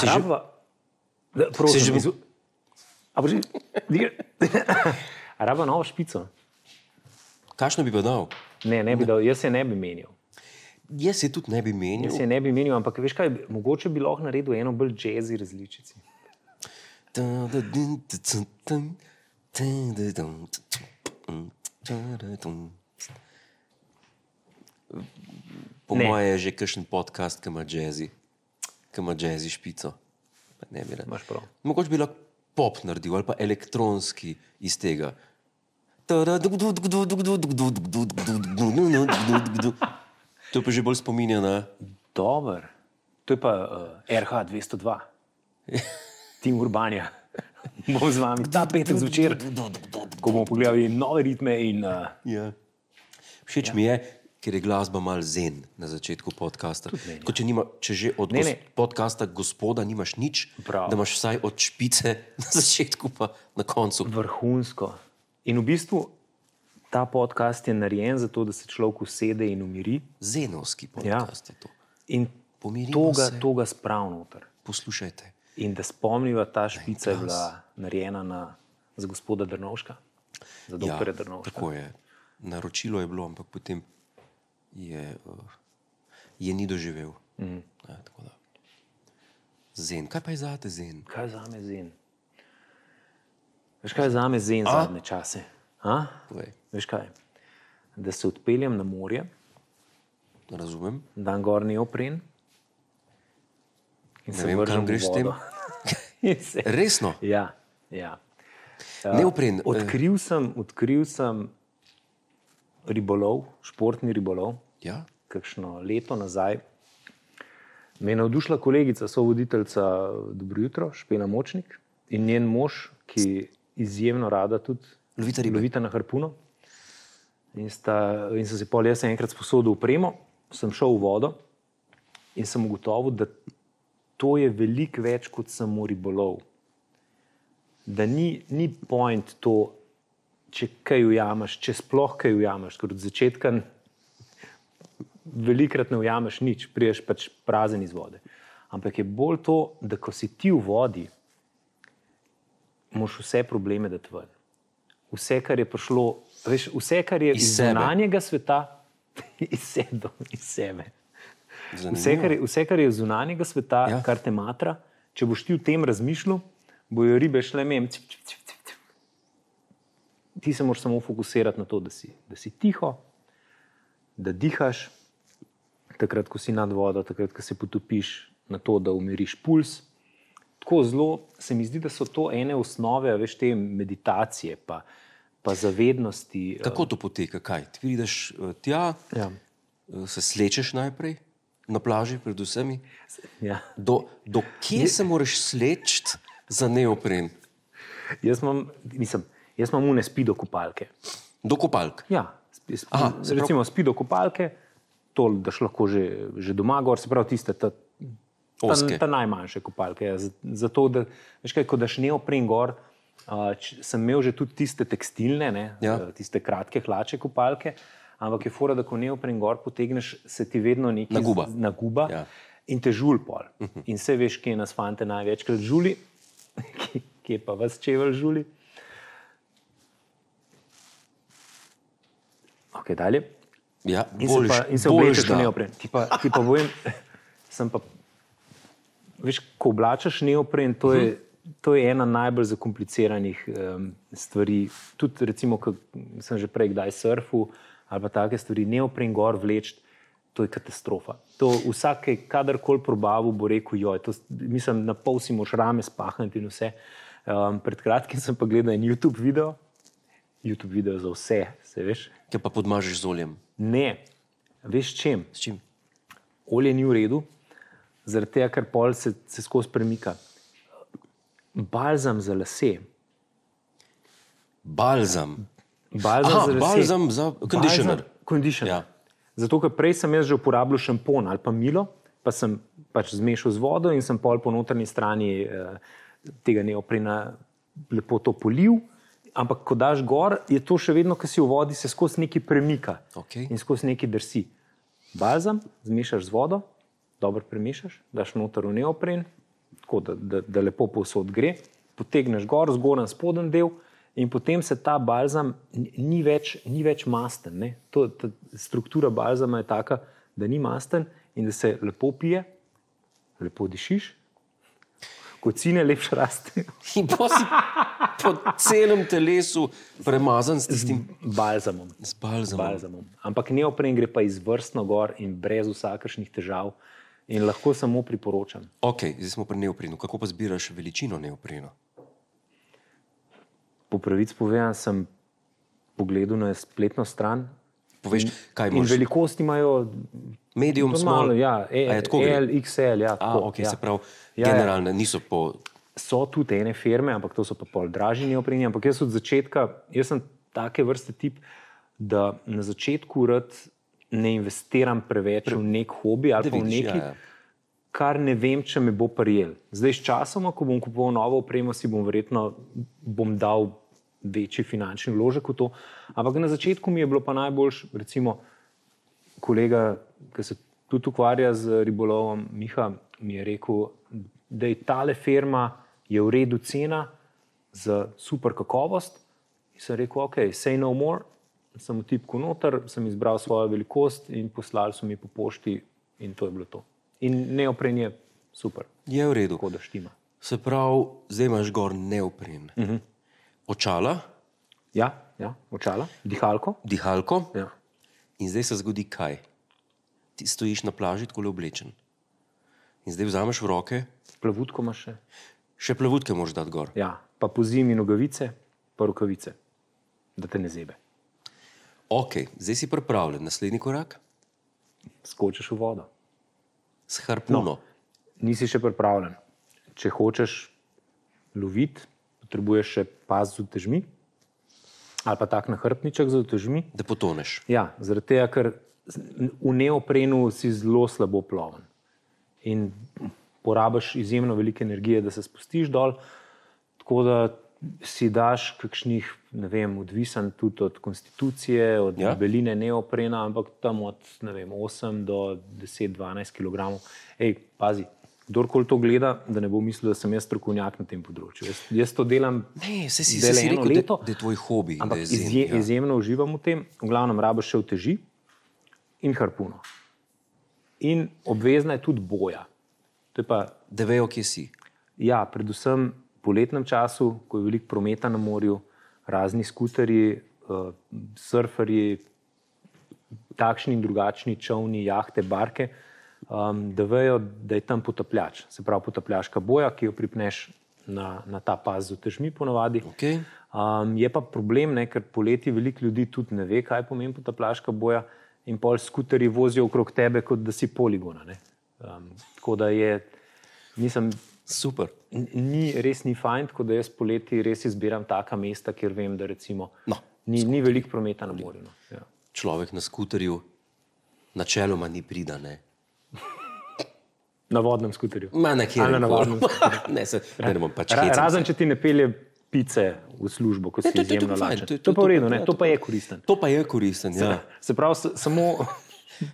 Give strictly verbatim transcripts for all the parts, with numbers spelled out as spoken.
Araba? Da, prosim, že... izv... A boži... Araba novo špico? Kakšno bi pa dal? Ne, ne bi dal, jaz se ne bi menil. Jaz se tudi ne bi menil. Jaz se ne bi menil, ampak veš kaj, mogoče bi lahko naredil eno bolj jazzy različici. Po moje je že kakšen podcast, ki ima jazzy, ki ima jazzy špico. Ne bi rad. Imaš prav. Mogoče bi lahko pop naredil ali pa elektronski iz tega. To pa že bolj spominja na... Dobar. To je pa uh, R H dvesto dva. Tim Urbanja. Bom z vami ta petek zvečer, ko bomo pogledali nove ritme in... Uh, ja. Všeč ja. mi je, ker je glasba mal zen na začetku podcasta. Ko če, nima, če že od ne, gos, ne. podcasta gospoda nimaš nič, Prav. Da imaš vsaj od špice na začetku pa na koncu. Vrhunsko. In v bistvu ta podcast je narejen za to, da se človek usede in umiri. Zenovski podcast ja. je to. In to ga, to ga sprav noter. Poslušajte. In da spomniva, ta špica je bila narejena na, za gospoda Drnovška, za doktorja ja, Drnovška. Tako je. Naročilo je bilo, ampak potem je, uh, je ni doživel. Mm. Ja, tako da. Zen. Kaj pa je zate zen? Kaj je zame zen? Veš kaj je zame zen A? zadnje čase? A? Veš kaj? Da se odpeljem na morje. Razumem. Dan gor neopren. In ne se vem, kam greš s tem. se... Resno? Ja, ja. Uh, neopren. Odkril sem, odkril sem ribolov, športni ribolov. Ja? Kakšno leto nazaj. Me je navdušila kolegica, sovoditeljica Dobro jutro, Špela Močnik, in njen mož, ki izjemno rada tudi lovita ribe. Lovita na harpuno. In, sta, in sem si pol jaz enkrat sposodil upremo, sem šel v vodo in sem ugotovil, da to je veliko več kot samo ribolov. Da ni, ni point to, če kaj ujameš, če sploh kaj ujameš, ker od začetka velikrat ne ujameš nič, priješ pač prazen iz vode. Ampak je bolj to, da ko si ti v vodi, moš vse probleme dati ven. Vse, kar je prišlo, veš, vse, kar je iz, iz zunanjega sveta, iz sebe, iz sebe. Vse kar, je, vse, kar je iz zunanjega sveta, ja. Kar te matra, če boš ti v tem razmišljal, bojo ribe šle mem. Cip, cip, cip, cip. Ti se moraš samo fokusirati na to, da si, da si tiho, da dihaš, takrat, ko si nad vodo, takrat, ko se potopiš, na to, da umiriš puls. Tako zelo se mi zdi, da so to ene osnove, veš, te meditacije, pa, pa zavednosti. Kako to poteka? Kaj? Ti vidiš tja, ja. Se slečeš najprej, na plaži predvsem. Ja. Do, do kje je... se moraš slečiti za neopren? Jaz imam, mislim, jaz imam une spido kopalke. Do kopalk? Ja, spi, spi, Aha, recimo prav... spido kopalke, to daš lahko že, že doma gor, se pravi tiste, ta, ta, ta najmanjše kopalke. Ja, zato, da, veš kaj, ko daš neopren gor, uh, č, sem imel že tudi tiste tekstilne, ne, ja. Tiste kratke hlače kopalke, ampak je fora, da ko neopren gor potegneš, se ti vedno nekaj naguba, naguba ja. In te žul pol. Uh-huh. In se veš, kje nas fante največkrat žuli, kje pa vas čevelj žuli. Ok, dalje. Ja, in boljš, se, pa, in se oblečeš v neopren. Ti pa, ti pa povem, sem pa, veš, ko oblačaš neopren, to je, uh-huh. to je ena najbolj zakompliciranih um, stvari. Tudi recimo, ko sem že prej kdaj surfal, ali pa take stvari, neopren gor vleč, to je katastrofa. To vsake, kadarkoli probavu, bo rekel, joj, to, mislim, na pol si moš rame spahniti in vse. Um, pred kratkim sem pa gledal en YouTube video, YouTube video za vse, se veš. Kaj pa podmažeš z oljem? Ne, veš čem? S čim? Olje ni v redu, zaradi tega, ker pol se, se skozi premika. Balzam za lase. Balzam? Balzam Aha, za lase. balzam za conditioner. Conditioner. Ja. Zato, ker prej sem jaz že uporabljal šampon ali pa milo, pa sem pač zmešal z vodo in sem pol po notranji strani eh, tega neoprena lepo to polil. Ampak, ko daš gor, je to še vedno, ko si v vodi, se skozi nekaj premika. Okay. In skozi nekaj drsi. Balzam, zmešaš z vodo, dobro premešaš, daš noter v neopren, tako da, da, da lepo povsod gre, potegneš gor, zgoren spoden del in potem se ta balzam ni več, ni več masten. Ne? To, ta struktura balzama je taka, da ni masten in da se lepo pije, lepo dišiš, kocine lepše rastejo. In pa si po celem telesu premazan s tistim balzamom. Z balzamom. balzamom. Ampak neopren gre pa izvrstno gor in brez vsakršnih težav in lahko samo priporočam. Ok, zdaj smo pri neoprenu. Kako pa zbiraš veličino neoprena? Po pravici povedan sem pogledal na spletno stran. Poveš, kaj in moraš? velikost imajo Medium, small? Ja, A je tako gre? L, X L, ja. A, Tako, ok, ja. se pravi, Ja, ja. generalne, niso po... So tudi ene firme, ampak to so pa pol dražji neopreni, ampak jaz od začetka, jaz sem take vrste tip, da na začetku rad ne investiram preveč v nek hobi ali Da pa v vidiš, nekaj, ja, ja. kar ne vem, če me bo prijel. Zdaj s časoma, ko bom kupoval novo opremo, si bom verjetno bom dal večji finančni vložek v to, ampak na začetku mi je bilo pa najboljš, recimo kolega, ki se tudi ukvarja z ribolovom, Miha, mi je rekel, da je tale firma je v redu cena za super kakovost. In sem rekel, ok, say no more. Sem v tipku noter, sem izbral svojo velikost in poslali so mi po pošti in to je bilo to. In neopren je super. Je v redu. Tako da štima. Se pravi, zdaj imaš gor neopren. Uh -huh. Očala, Ja, ja, očala, dihalko. dihalko Ja. in zdaj se zgodi kaj? Ti stojiš na plaži, tako oblečen. In zdaj vzameš v roke, Plavutko imaš še. še plavutke moraš dati gor. Ja, pa po zimi nogavice, pa rokavice, da te ne zebe. Ok, zdaj si pripravljen. Naslednji korak? Skočiš v vodo. S harpuno. No. Nisi še pripravljen. Če hočeš loviti, potrebuješ še pas z utežmi ali pa tak nahrbtniček z utežmi. Da potoneš. Ja, zaradi tega, ker v neoprenu si zelo slabo ploven. In porabiš izjemno veliko energije, da se spustiš dol, tako da si daš kakšnih, ne vem, odvisen tudi od konstitucije, od Ja. beline neoprena, ampak tam od, ne vem, osem do deset do dvanajst kilogramov. Ej, pazi, kdorkoli to gleda, da ne bo mislil, da sem jaz strokovnjak na tem področju. Jaz, jaz to delam Ne, se si, zdaj se si eno rekel, leto, da, da je tvoj hobi. ampak da je zen, izje, ja. izjemno uživam v tem. V glavnem rabiš še uteži in harpuno. In obvezna je tudi boja. To je pa, Da vejo, kje si. ja, predvsem v poletnem času, ko je veliko prometa na morju, razni skuterji, uh, surferji, takšni in drugačni čovni, jahte, barke, um, da vejo, da je tam potapljač. Se pravi potapljaška boja, ki jo pripneš na, na ta pas z utežmi ponavadi. Okay. Um, je pa problem, ne, ker poleti veliko ljudi tudi ne ve, kaj pomeni potapljaška boja in pol skuterji vozijo okrog tebe, kot da si poligona. Ne. Um, tako da je, nisem, Super. ni, res ni fajn, tako da jaz poleti res izbiram taka mesta, kjer vem, da recimo No, ni, ni veliko prometa na morju. No. Ja. Človek na skuterju načeloma ni pridane. Na vodnem skuterju. Ma nekje. Ali na navadnem ne, se, ne, ne bom pač Ra, hecam razen, se. če ti ne pelje pice v službo, ko si to- to- to je izjemno pa fajn, lačen. to je- To je pa v redu, to- ne? ja, To to pa pa- je koristen. To pa je koristen, ja. Se pravi, s- samo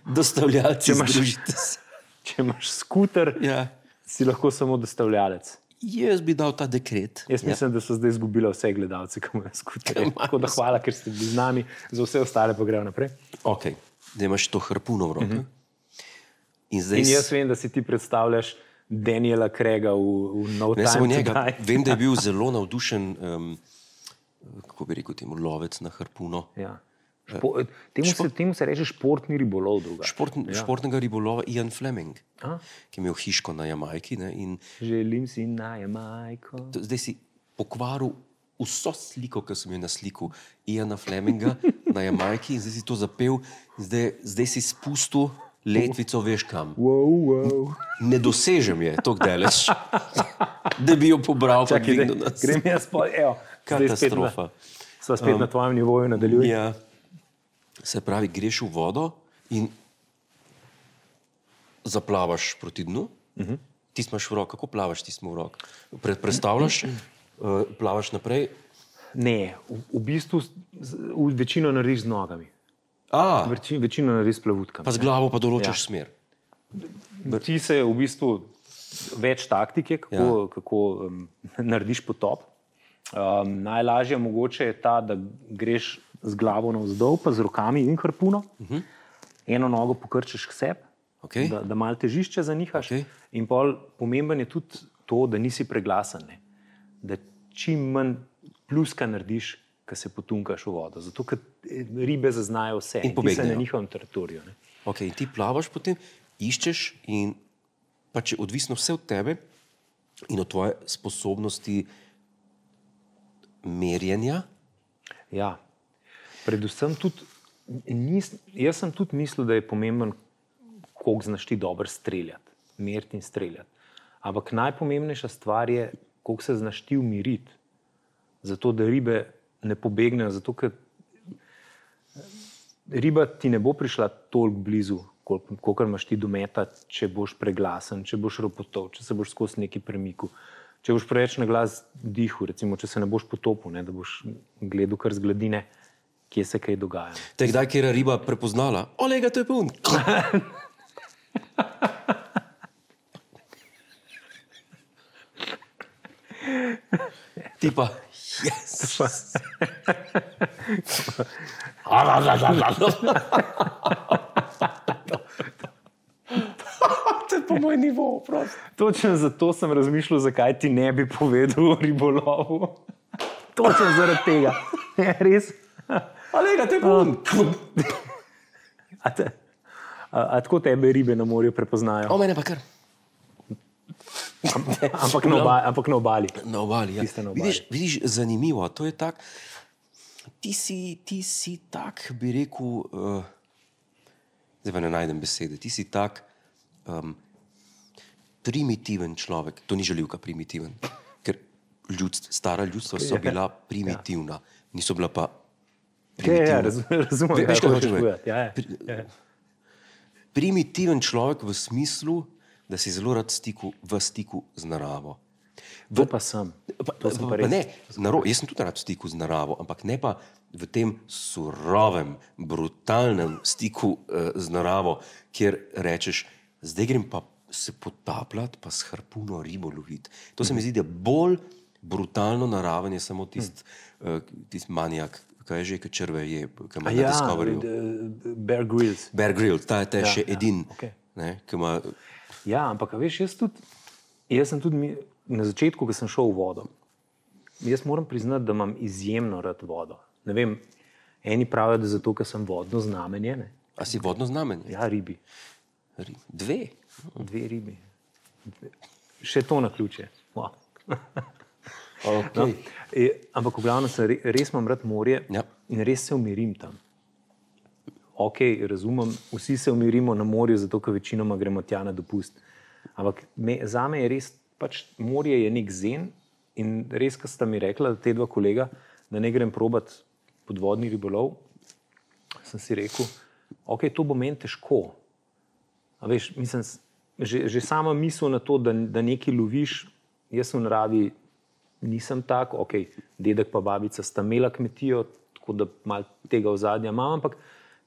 Dostavljalci, Če imaš- združite se. če imaš skuter, Ja. si lahko samo dostavljalec. Jaz bi dal ta dekret. Jaz mislim, ja. da so zdaj izgubili vse gledalce, ki imajo skuterje. Tako da hvala, ker ste bili z nami, za vse ostale pa gremo naprej. Ok, da imaš to harpuno v roki. Uh -huh. In zdaj In s- jaz vem, da si ti predstavljaš Daniela Craiga v, v No ne samo Time to njega, Die. vem, da je bil zelo navdušen, um, kako bi rekel, temu lovec na harpuno. Ja. Špo, temu, se, temu se reče športni ribolov druga. Šport, ja. Športnega ribolova Ian Fleming, A? ki je imel hiško na Jamajki. Ne, in Želim si na Jamajko. to, zdaj si pokvaril vso sliko, ki sem jo na sliku Iana Fleminga na Jamajki in zdaj si to zapel, in zdaj, zdaj si spustil letvico, veš kam. Wow, wow. Ne dosežem je tako daleč, da bi jo pobral, pa Čakaj, dvignil daj, nas. grem jaz pa, evo. zdaj spet na- Katastrofa. Sva spet um, na tvojem nivoju, nadaljuj. Ja. Se pravi, greš v vodo in zaplavaš proti dnu. Uh -huh. Ti imaš v roki, kako plavaš, ti smo v roki. Pre, predstavljaš, uh, plavaš naprej. Ne, v, v bistvu z- z- v večino narediš z nogami. A, Veči, večino narediš s plavutkami. pa z glavo pa določiš Ja. smer. Ti se v bistvu več taktike, kako, ja. kako um, narediš potop. Um, najlažje mogoče je ta, da greš z glavo navzdol, pa z rokami in harpuno. Uh-huh. Eno nogo pokrčeš k sebi, okay. da, da malo težišče zanihaš. Okay. In pol pomemben je tudi to, da nisi preglasen. Ne? Da čim manj pluska narediš, ko se potunkaš v vodo. Zato, ker ribe zaznajo vse in, in ti se na njihovem teritoriju. Ne? Ok, in ti plavaš potem, iščeš in pač je odvisno vse od tebe in od tvoje sposobnosti merjenja. Ja, predvsem tudi, nis, jaz sem tudi mislil, da je pomemben, koliko znaš ti dobro streljati, meriti in streljati. Ampak najpomembnejša stvar je, koliko se znaš ti umiriti, zato da ribe ne pobegnejo, zato ker riba ti ne bo prišla toliko blizu, kolikor imaš ti dometati, če boš preglasen, če boš ropotov, če se boš skozi neki premiku, če boš preveč na glas dihu, recimo, če se ne boš potopil, ne, da boš gledal kar z gladine, kje se kaj dogaja. Te kdaj kjer je riba prepoznala? Olega, to je pun! Ti pa, yes! To je po moj nivo, prosto. Točno zato sem razmišljal, zakaj ti ne bi povedal o ribolovu. Točno zaradi tega. Res? Olega, to je pun! A, te, a, a tako tebe ribe na morju prepoznajo? O, mene pa kar. ampak, na obali, ampak na obali. Na obali, ja. Na obali. Vidiš, vidiš, zanimivo, to je tak, ti si, ti si tak, bi rekel, uh, zdaj pa ne najdem besede, ti si tak um, primitiven človek, to ni žaljivka primitiven, ker ljudst, stara ljudstva so bila primitivna, niso bila pa primitivna. Ja, ja, razumem, Ve, veš, kaj hočeš povedati. Ja, ja. Primitiven človek v smislu, da si zelo rad stiku, v stiku z naravo. V, to pa sem. Pa, to sem pa, pa pa ne, naro, jaz sem tudi rad v stiku z naravo, ampak ne pa v tem surovem, brutalnem stiku uh, z naravo, kjer rečeš, zdaj grem pa se potapljati, pa s harpuno ribo loviti. To se mi zdi, da bolj brutalno naraven je samo tist, uh, tist manijak, kaj je že, kaj črve je, kaj ima na Discoveryju. Ja, Bear Grylls. Bear Grylls, ta je te ja, še ja, edin, okay. ne, ki ima... Ja, ampak veš, jaz tudi, jaz sem tudi na začetku, ko sem šel v vodo, jaz moram priznati, da imam izjemno rad vodo. Ne vem, eni pravijo, da zato, ker sem vodno znamenje. Ne? A si vodno znamenje? Ja, ribi. Ri, dve? Dve ribi. Dve. Še to na ključe. Wow. Okay. No, e, ampak v glavnem sem re, res imam rad morje ja. In res se umirim tam. Ok, razumem, vsi se umirimo na morju, zato ker večinoma gremo tja na dopust. Ampak me, za me je res, pač morje je nek zen in res, ko sta mi rekla, te dva kolega, da ne grem probat podvodni ribolov, sem si rekel, ok, to bo meni težko. A veš, mislim, že, že sama misel na to, da, da nekaj loviš, jaz v naravi nisem tak, ok, dedek pa babica sta imela kmetijo, tako da malo tega ozadja imam, ampak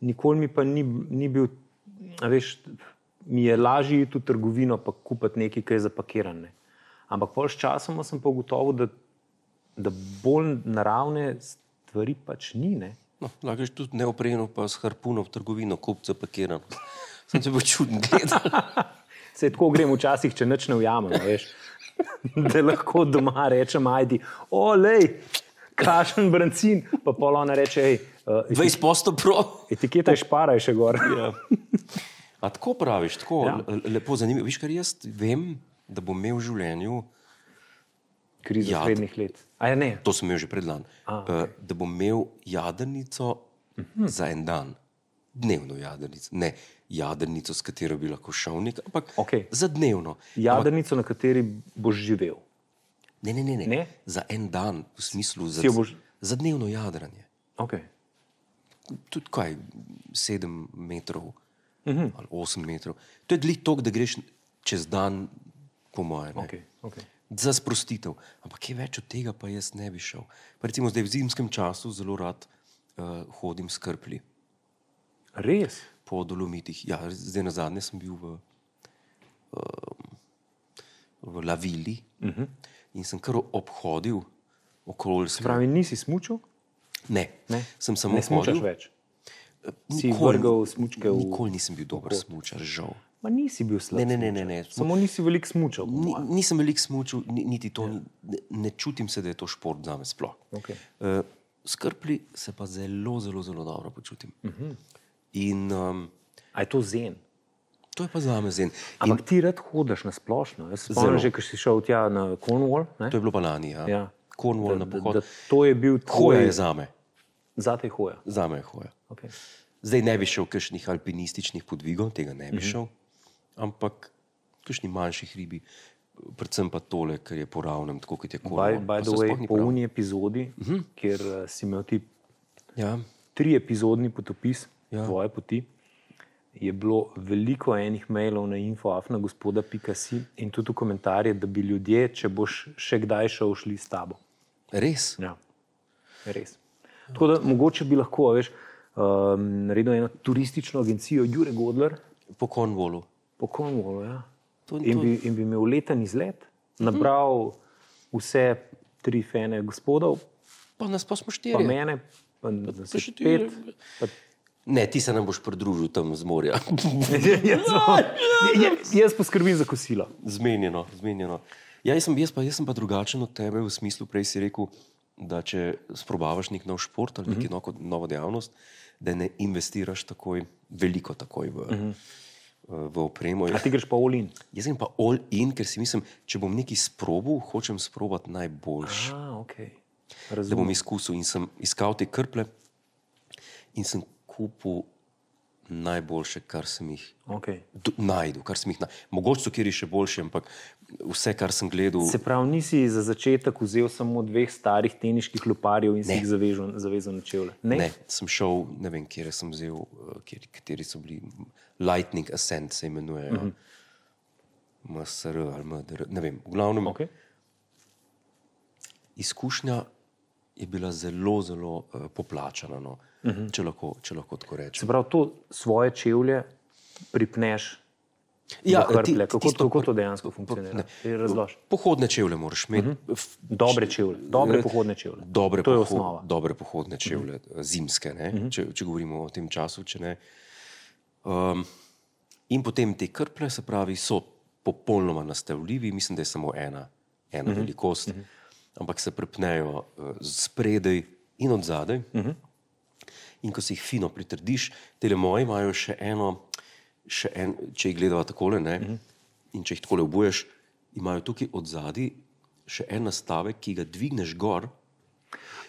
nikoli mi pa ni, ni bil, a veš, mi je lažje iti v trgovino pa kupiti nekaj, kaj je zapakiran. Ne. Ampak pol s časom sem pa ugotovil, da, da bolj naravne stvari pač ni. Ne. No, lahko je tudi neoprejeno pa s harpuno v trgovino kupiti zapakiran. Sem se bo čuden gledal. Se tako grem včasih, če nič ne ujamem, veš. Da lahko doma rečem, ajdi, o, lej, kašen brancin, pa pol ona reče, hej, uh, dvajset posto pro. Etiketa je šparaj še gor. Ja. A tako praviš, tako Ja. lepo zanimivo. Viš, kar jaz vem, da bom imel v življenju, Krizo Ja, srednjih let. A ja, ne? to sem imel že predlan, A, uh, da bom imel jadrnico uh-huh. za en dan. Dnevno jadrnico. Ne jadrnico, s katero bi lahko šel nek, ampak Okej. za dnevno. Jadrnico, na kateri boš živel. Ne, ne, ne, ne. Ne? Za en dan, v smislu za, Si jo boš- za dnevno jadranje. Ok. Tudi kaj, sedem metrov uh-huh. ali osem metrov. To je glih toliko, da greš čez dan, po moje. Ne? Ok, ok. Za sprostitev. Ampak kaj več od tega pa jaz ne bi šel. Pa recimo zdaj v zimskem času zelo rad uh, hodim s krplji Res? po Dolomitih. Ja, zdaj na zadnje sem bil v, uh, v Lavili uh-huh. in sem kar obhodil okoljske. Se pravi, nisi smučal? Ne, ne? sem samo ne smučaš hodil. Več? Si vrgal smučke v... Nikoli nisem bil dober smučar, žal. Ma nisi bil slab ne, ne, ne, ne, ne. Samo nisi veliko smučal. Ni, nisem veliko smučal, niti to, ja. ne, ne čutim se, da je to šport zame sploh. Okay. Uh, s krplji se pa zelo, zelo, zelo dobro počutim. Uh-huh. In, um, A je to zen? To je pa zame zen. Ampak In, ti rad hodiš na splošno. Jaz spomnim že, ko si šel tja na Cornwall. Ne? To je bilo pa lani, ja. ja. Cornwall da, na pohod. Da, da to je bil tvoj... Hoja je zame. Zate je hoja? Zame je hoja. Okay. Zdaj ne bi šel v kakšnih alpinističnih podvigov, tega ne bi šel, mm-hmm. ampak v kakšnih manjših ribi, predvsem pa tole, ker je po ravnem, tako kot je Cornwall. By, by the way, po uni epizodi, mm-hmm. kjer uh, si imel ti ja. tri epizodni potopis ja. tvoje poti, je bilo veliko enih mailov na info afna gospoda pika si in tudi v komentarje, da bi ljudje, če boš še kdaj šel, šli s tabo. Res? Ja, res. Tako da mogoče bi lahko, veš, Um, naredil eno turistično agencijo Jure Godler. Po Cornwallu. Po Cornwallu, ja. To, to... In, bi, in bi imel leten izlet, nabral vse tri fene gospodov. Pa nas pa smo štiri. Pa mene, pa, pa, pa še pet. Pa... Ne, ti se nam boš pridružil tam z morja. jaz, jaz, jaz poskrbim za kosilo. Zmenjeno, zmenjeno. Ja, jaz, sem, jaz, pa, jaz sem pa drugačen od tebe v smislu, prej si rekel, da če sprobavaš nek nov šport ali neki mm-hmm. novo dejavnost, da ne investiraš takoj, veliko takoj v, mm-hmm. v opremo. A ti greš pa all in? Jaz grem pa all in, ker si mislim, če bom nekaj sprobal, hočem sprobati najboljši. Ah, okay. Da bom izkusil in sem iskal te krple in sem kupil najboljše, kar sem jih okay. najdel. Kar sem jih na... Mogoče so kjeri še boljši, ampak vse, kar sem gledal... Se pravi, nisi za začetek vzel samo dveh starih teniških loparjev in ne. Si jih zavezal, zavezal na čevlje? Ne? Ne, sem šel, ne vem, kjer sem vzel, kjer, kateri so bili, Lightning Ascent se imenujejo, mm-hmm. M S R ali M D R, ne vem, v glavnem. Okay. Izkušnja je bila zelo, zelo uh, poplačana, no, mm-hmm. če, lahko, če lahko tako rečem. Se pravi, to svoje čevlje pripneš ja, do krple. ti, kako, tisto, kako to dejansko funkcionira? Razloži. Pohodne čevlje moraš imeti. Mm-hmm. Dobre čevlje, dobre pohodne čevlje. Dobre to je poho- osnova. Dobre pohodne čevlje, mm-hmm. zimske, ne? Mm-hmm. Če, če govorimo o tem času. Če ne. Um, in potem te krple, se pravi, so popolnoma nastavljivi, mislim, da je samo ena, ena mm-hmm. velikost. Mm-hmm. Ampak se prepnejo uh, spredaj in od zadaj. Uh-huh. In ko si jih fino pritrdiš, tele moji imajo še eno, še en, če jih gledava takole, ne, uh-huh. in če jih takole obuješ, imajo tukaj od zadaj še en nastavek, ki ga dvigneš gor.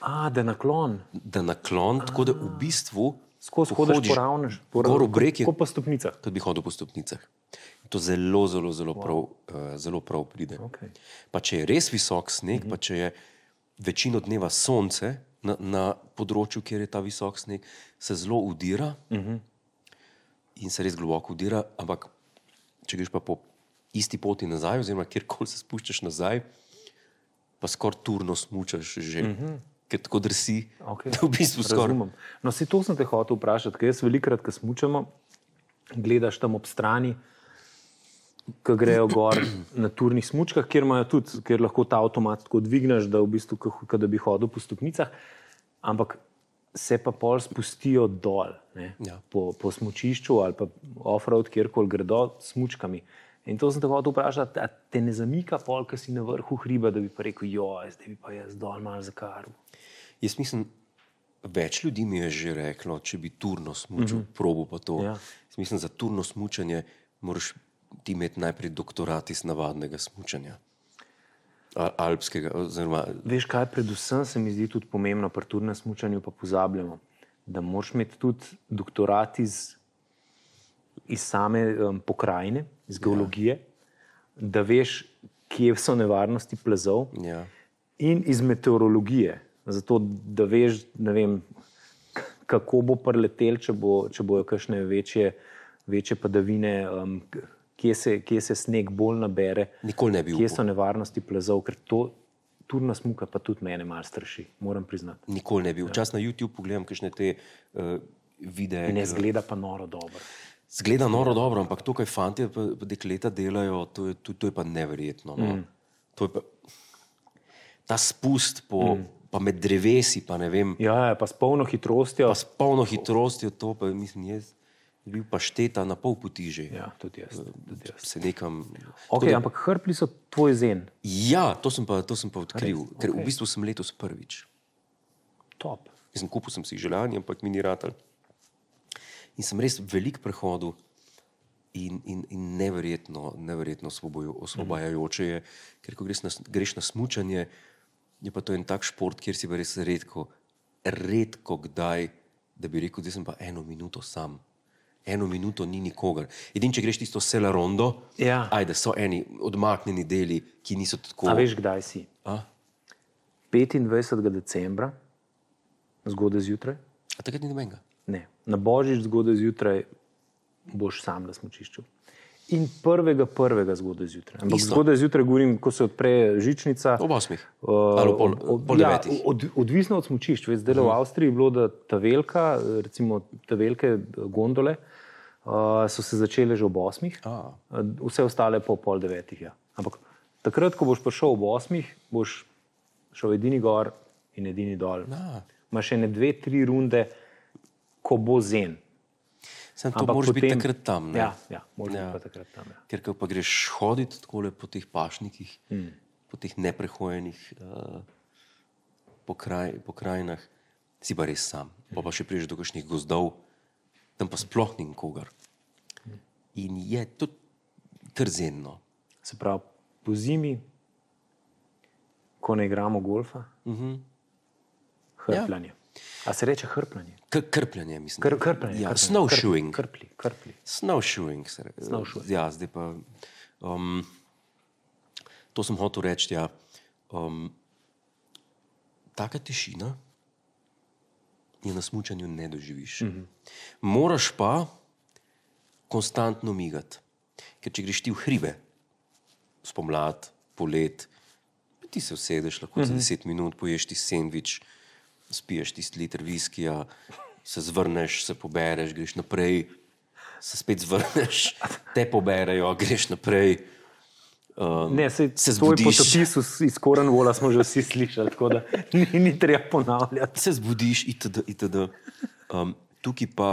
A, da naklon. Da naklon, A. tako da v bistvu skozi hodiš po ravnež, po gor v breg je, kot po stopnicah. Kot bi hodil po stopnicah. To zelo, zelo, zelo, wow. prav, uh, zelo prav pride. Okay. Pa če je res visok sneg, mm-hmm. pa če je večino dneva sonce na, na področju, kjer je ta visok sneg, se zelo udira mm-hmm. in se res globoko udira, ampak če greš pa po isti poti nazaj, oziroma kjerkoli se spuščaš nazaj, pa skoraj turno smučaš že, mm-hmm. ker tako drsi, okay. da v bistvu skoraj... Razumem. No, si to sem te hotel vprašati, ker jaz velikrat, ko smučamo, gledaš tam ob strani, ko grejo gor na turnih smučkah, kjer imajo tudi, kjer lahko ta avtomat tako dvigneš, da v bistvu, kot da bi hodil po stopnicah, ampak se pa pol spustijo dol, ne, ja. po, po smučišču ali pa off-road, kjerkoli gredo s smučkami. In to sem te hotel vprašati, a te ne zamika pol, ko si na vrhu hriba, da bi pa rekel, joj, zdaj bi pa jaz dol malo zakaril. Jaz mislim, več ljudi mi je že reklo, če bi turno smučil, mm-hmm. probo pa to. Ja. Jaz mislim, za turno smučanje moraš ti imeti najprej doktorat iz navadnega smučanja. Alpskega. Oziroma... Veš kaj, predvsem se mi zdi tudi pomembno pri turnem smučanju, pa pozabljamo, da moraš imeti tudi doktorat iz, iz same um, pokrajine, iz geologije, ja. Da veš, kje so nevarnosti plazov ja. In iz meteorologije. Zato, da veš, ne vem, kako bo preletel, če, bo, če bojo kakšne večje, večje padavine, um, Kje se, kje se sneg bolj nabere, Nikoli ne bi kje so nevarnosti plazov, ker to turna smuka pa tudi mene malo straši, moram priznati. Nikoli ne bi. Včasih na YouTube pogledam kakšne te uh, videe. In ne zgleda pa noro dobro. Zgleda noro dobro, ampak to, kaj fantje pa dekleta delajo, to je, to, to je pa neverjetno. No? Mm. To je pa ta spust po, mm. pa med drevesi, pa ne vem. Ja, pa s polno hitrostjo. Pa s polno hitrostjo, to pa mislim, jaz bil pa šteta na pol poti že. Ja, tudi jaz. Tudi jaz. Se nekam... Ok, da... ampak hrpli so tvoj zen. Ja, to sem pa, to sem pa odkril, Res? ker Okay. v bistvu sem letos prvič. Top. Mislim, kupil sem si želanje, ampak mi ni ratal. In sem res velik prehodil in, in, in neverjetno, neverjetno osvobajajoče je, ker ko greš na, greš na smučanje, je pa to en tak šport, kjer si pa res redko, redko kdaj, da bi rekel, da sem pa eno minuto sam. Eno minuto ni nikogar. Edin, če greš tisto Sella Rondo, Ja. ajde, so eni odmaknjeni deli, ki niso tako... A veš, kdaj si? A? petindvajsetega decembra, zgodaj zjutraj? A takrat ni nobenega? Ne. Na Božič zgodaj zjutraj boš sam na smučišču. In prvega prvega zgodaj zjutraj. Ampak Isto. zgodaj zjutraj govorim, ko se odpre žičnica. Ob osmih. Uh, Ali pol, ob- pol ja, devetih. od, odvisno od smučišč. Veš, zdaj v Avstriji je bilo, da ta velika, recimo ta velike gondole, uh, so se začele že ob osmih, A. uh, vse ostale pa ob pol devetih. Ja. Ampak takrat, ko boš prišel ob osmih, boš šel edini gor in edini dol. A. Imaš še ne dve, tri runde, ko bo zen. Sem to Ampak moraš biti potem- takrat tam, ne? Ja, ja, moraš Ja. biti pa takrat tam. Ja. Ker ko pa greš hoditi takole po teh pašnikih, Hmm. po teh neprehojenih uh, pokraj, pokrajinah, si pa res sam. Pa pa še priješ do kakšnih gozdov, tam pa sploh ni nikogar. In je to kar zenno. Se pravi, po zimi, ko ne igramo golfa, Mhm. hrpljanje. A se reče hrpljanje? K krpljanje, mislim. Kr, krpljanje. Ja, krpljanje. snowshoeing. Krpli, krpli. Snowshoeing. Se re, Snowshoeing. Ja, zdaj pa... Um, to sem hotel reči, ja. Um, taka tišina je na smučanju ne doživiš. Mm-hmm. Moraš pa konstantno migati. Ker če greš ti v hribe, spomlad, polet, ti se usedeš lahko mm-hmm. za deset minut, poješ ti sendvič, spiješ tisti liter viskija, se zvrneš, se pobereš, greš naprej, se spet zvrneš, te poberejo, greš naprej. Um, Ne, sej, se tvoj zbudiš, potopis iz- iz Cornwalla smo že vsi slišali, tako da ni, ni treba ponavljati. se zbudiš itd. itd. Um, tukaj pa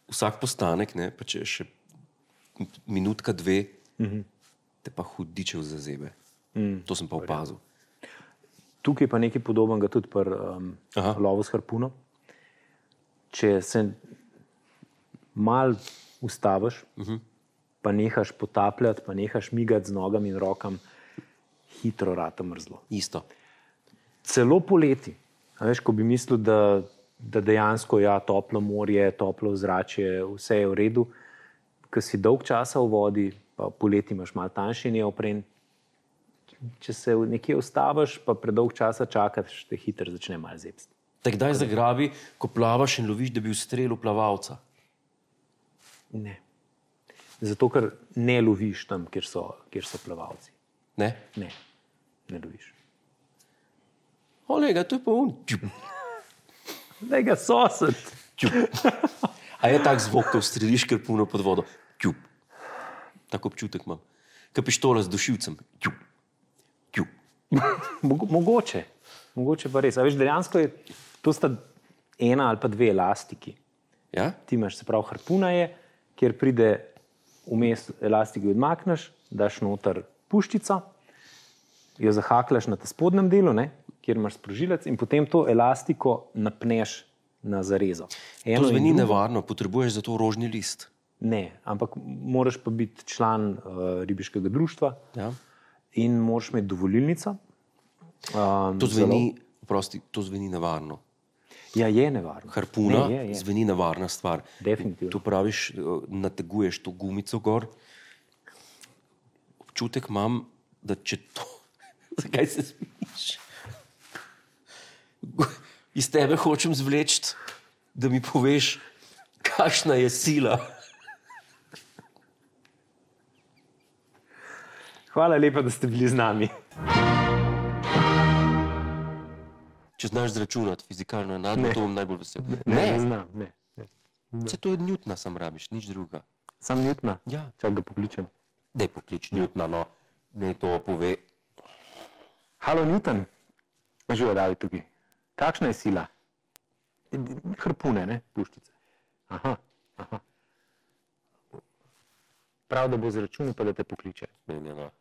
vsak postanek, ne, pa če je še minutka, dve, mm-hmm. te pa hudičev zazebe. Mm. To sem pa opazil. Tukaj je pa nekaj podobnega tudi pri um, Aha. lovu s harpuno. Če se mal ustaviš, uh-huh. pa nehaš potapljati, pa nehaš migati z nogami in rokam, hitro rata mrzlo. Isto. Celo poleti. A veš, ko bi mislil, da, da dejansko ja, toplo morje, toplo zračje, vse je v redu, ko si dolg časa v vodi, pa poleti imaš malo tanjši neopren, če se nekje ustaviš, pa predolg časa čakaš, te hitro začne malo zebsti. Te kdaj zagrabi, ko plavaš in loviš, da bi ustrelil plavalca? Ne. Zato, ker ne loviš tam, kjer so, kjer so plavalci. Ne? Ne, ne loviš. Olega, to je pa on. Čup, Daj ga sosed. čup. A je tak zvok, ko streliš krpuno pod vodo? Čup. Tak občutek imam. Ka pištola z dušilcem. Čup. Čup. Mogo- Mogoče. Mogoče pa res. A veš, dejansko je, to sta ena ali pa dve elastiki. Ja? Ti imaš, se pravi, harpuna je, kjer pride vmes elastiki odmakneš, daš noter puščico, jo zahaklaš na ta spodnjem delu, ne, kjer imaš sprožilec in potem to elastiko napneš na zarezo. Eno To in zveni drugo- nevarno, potrebuješ za to rožni list. Ne, ampak moraš pa biti član uh, ribiškega društva Ja? in moraš imeti dovolilnico. Um, To zveni, prosti, to zveni nevarno. Ja, je nevarno. Harpuna Ne, je, je. zveni nevarna stvar. Definitivno. Tu praviš, eh, nateguješ to gumico gor. Občutek imam, da če to... Zakaj se smiš? Iz tebe hočem zvleči, da mi poveš, kakšna je sila. Hvala lepa, da ste bili z nami. Če znaš zračunati fizikalno enako, to bom najbolj vesel. Ne, ne znam. Ne. Vse to je Newtona, sam rabiš, nič druga. Sam Newtona? Ja. Čak ga pokličem. Dej poklič Newtona, no, ne to pove. Halo, Newton, živo David tukaj. Kakšna je sila? Hrpune, ne, puščice. Aha, aha. Prav, da bo zračunal, pa da te pokliče. Ne, ne, no.